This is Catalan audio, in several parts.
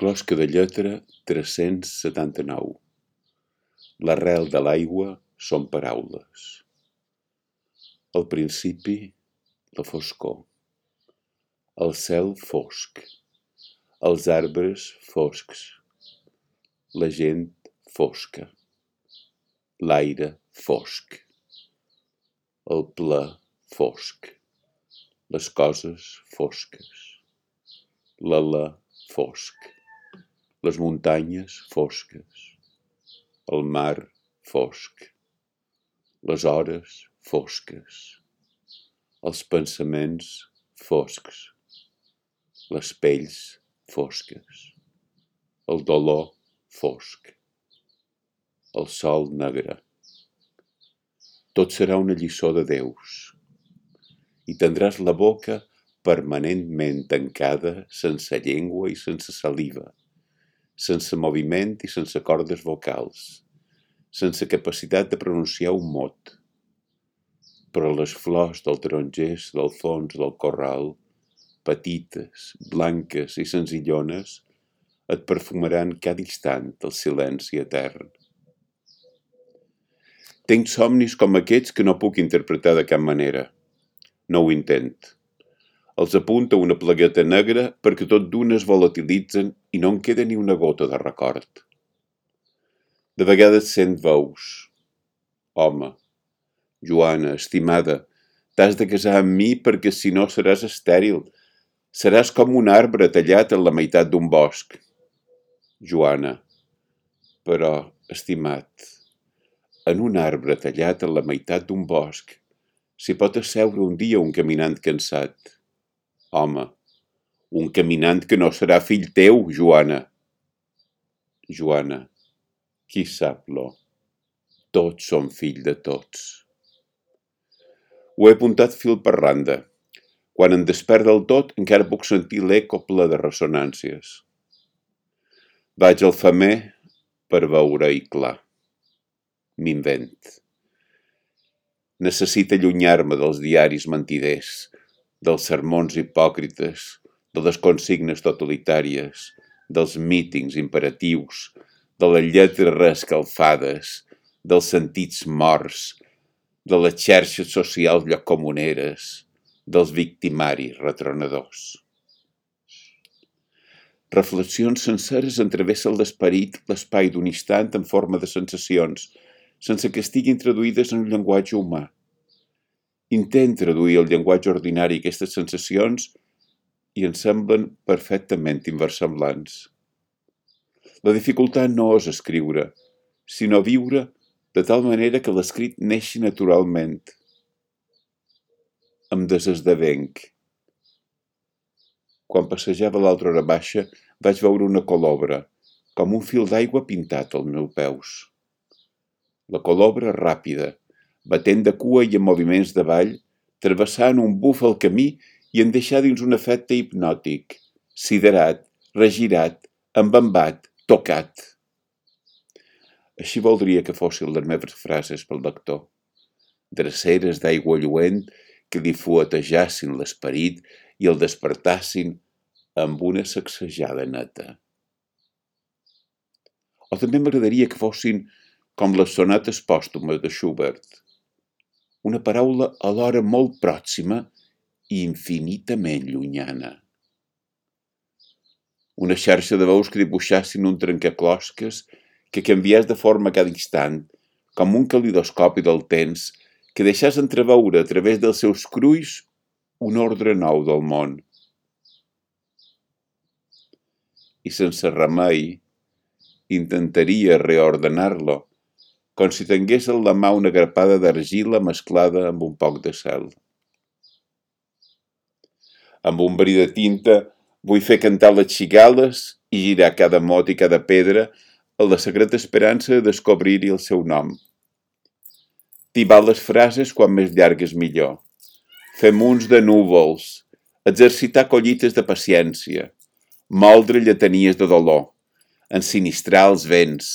Closca de lletra 379. L'arrel de l'aigua són paraules. Al principi, la foscor. El cel fosc. Els arbres foscs. La gent fosca. L'aire fosc. El ple fosc. Les coses fosques. L'alè fosc. Les muntanyes fosques. El mar fosc. Les hores fosques. Els pensaments foscs. Les pells fosques. El dolor fosc. El sol negre. Tot serà una lliçó de déus. I tindràs la boca permanentment tancada, sense llengua i sense saliva, sense moviment i sense cordes vocals, sense capacitat de pronunciar un mot. Però les flors dels tarongers del fons del corral, petites, blanques i senzillones, et perfumaran cada instant el silenci etern. Tinc somnis com aquests que no puc interpretar de cap manera. No ho intent. Els apunta una plagueta negra perquè tot d'una es volatilitzen i no en queda ni una gota de record. De vegades sent veus. Home, Joana, estimada, t'has de casar amb mi perquè si no seràs estèril. Seràs com un arbre tallat en la meitat d'un bosc. Joana, però, estimat, en un arbre tallat en la meitat d'un bosc s'hi pot asseure un dia un caminant cansat. Home, un caminant que no serà fill teu, Joana. Joana, qui sap lo? Tots som fill de tots. Ho he apuntat fil per randa. Quan em despert del tot encara puc sentir l'eco ple de ressonàncies. Vaig al femer per veure-hi clar. M'invent. Necessito allunyar-me dels diaris mentiders, dels sermons hipòcrites, de les consignes totalitàries, dels mítings imperatius, de les lletres reescalfades, dels sentits morts, de les xarxes socials lloccomuneres, dels victimaris retronadors. Reflexions senceres entrevessen l'esperit, l'espai d'un instant en forma de sensacions, sense que estiguin traduïdes en un llenguatge humà. Intent traduir el llenguatge ordinari aquestes sensacions i ens semblen perfectament inversemblants. La dificultat no és escriure, sinó viure de tal manera que l'escrit neixi naturalment. Em desesdevenc. Quan passejava a l'altra hora baixa, vaig veure una colobra, com un fil d'aigua pintat als meus peus. La colobra ràpida, batent de cua i en moviments de ball, travessant un buf al camí i en deixar dins un efecte hipnòtic, siderat, regirat, embambat, tocat. Així voldria que fossin les meves frases pel lector, dreceres d'aigua lluent que li fuetejassin l'esperit i el despertassin amb una sacsejada neta. O també m'agradaria que fossin com les sonates pòstumes de Schubert, una paraula alhora molt pròxima i infinitament llunyana. Una xarxa de veus que dibuixassin un trencaclosques que canviés de forma cada instant, com un calidoscopi del temps que deixàs entreveure a través dels seus crulls un ordre nou del món. I sense remei, intentaria reordenar-lo, com si tingués en la mà una grapada d'argila mesclada amb un poc de cel. Amb un verí de tinta vull fer cantar les cigales i girar cada mot i cada pedra en la secreta esperança de descobrir-hi el seu nom. Tibar les frases quan més llargues millor. Fer munts de núvols, exercitar collites de paciència, moldre lletanies de dolor, ensinistrar els vents,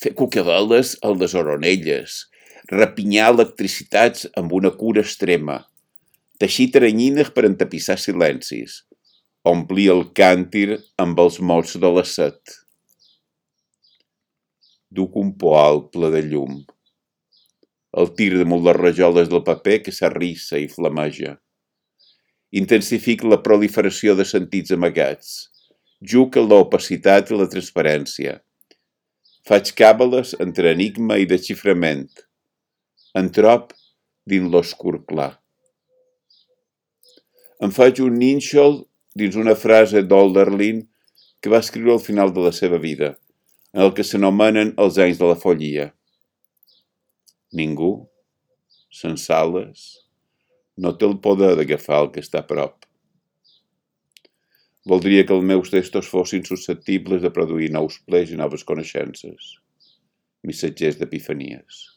fer cucaveles a les oronelles, rapinyar electricitats amb una cura extrema, teixir teranyines per entapissar silencis, omplir el càntir amb els mots de la set. Duc un poal ple de llum. El tir damunt les rajoles del paper que s'arrissa i flameja. Intensific la proliferació de sentits amagats. Juc a l'opacitat i la transparència. Faig càbales entre enigma i desxiframent. Entrop dins l'oscur clar. Em faig un nínxol dins una frase d'Hölderlin que va escriure al final de la seva vida, en el que s'anomenen els anys de la follia. Ningú, sense ales, no té el poder d'agafar el que està a prop. Voldria que els meus textos fossin susceptibles de produir nous plers i noves coneixences, missatgers d'epifanies.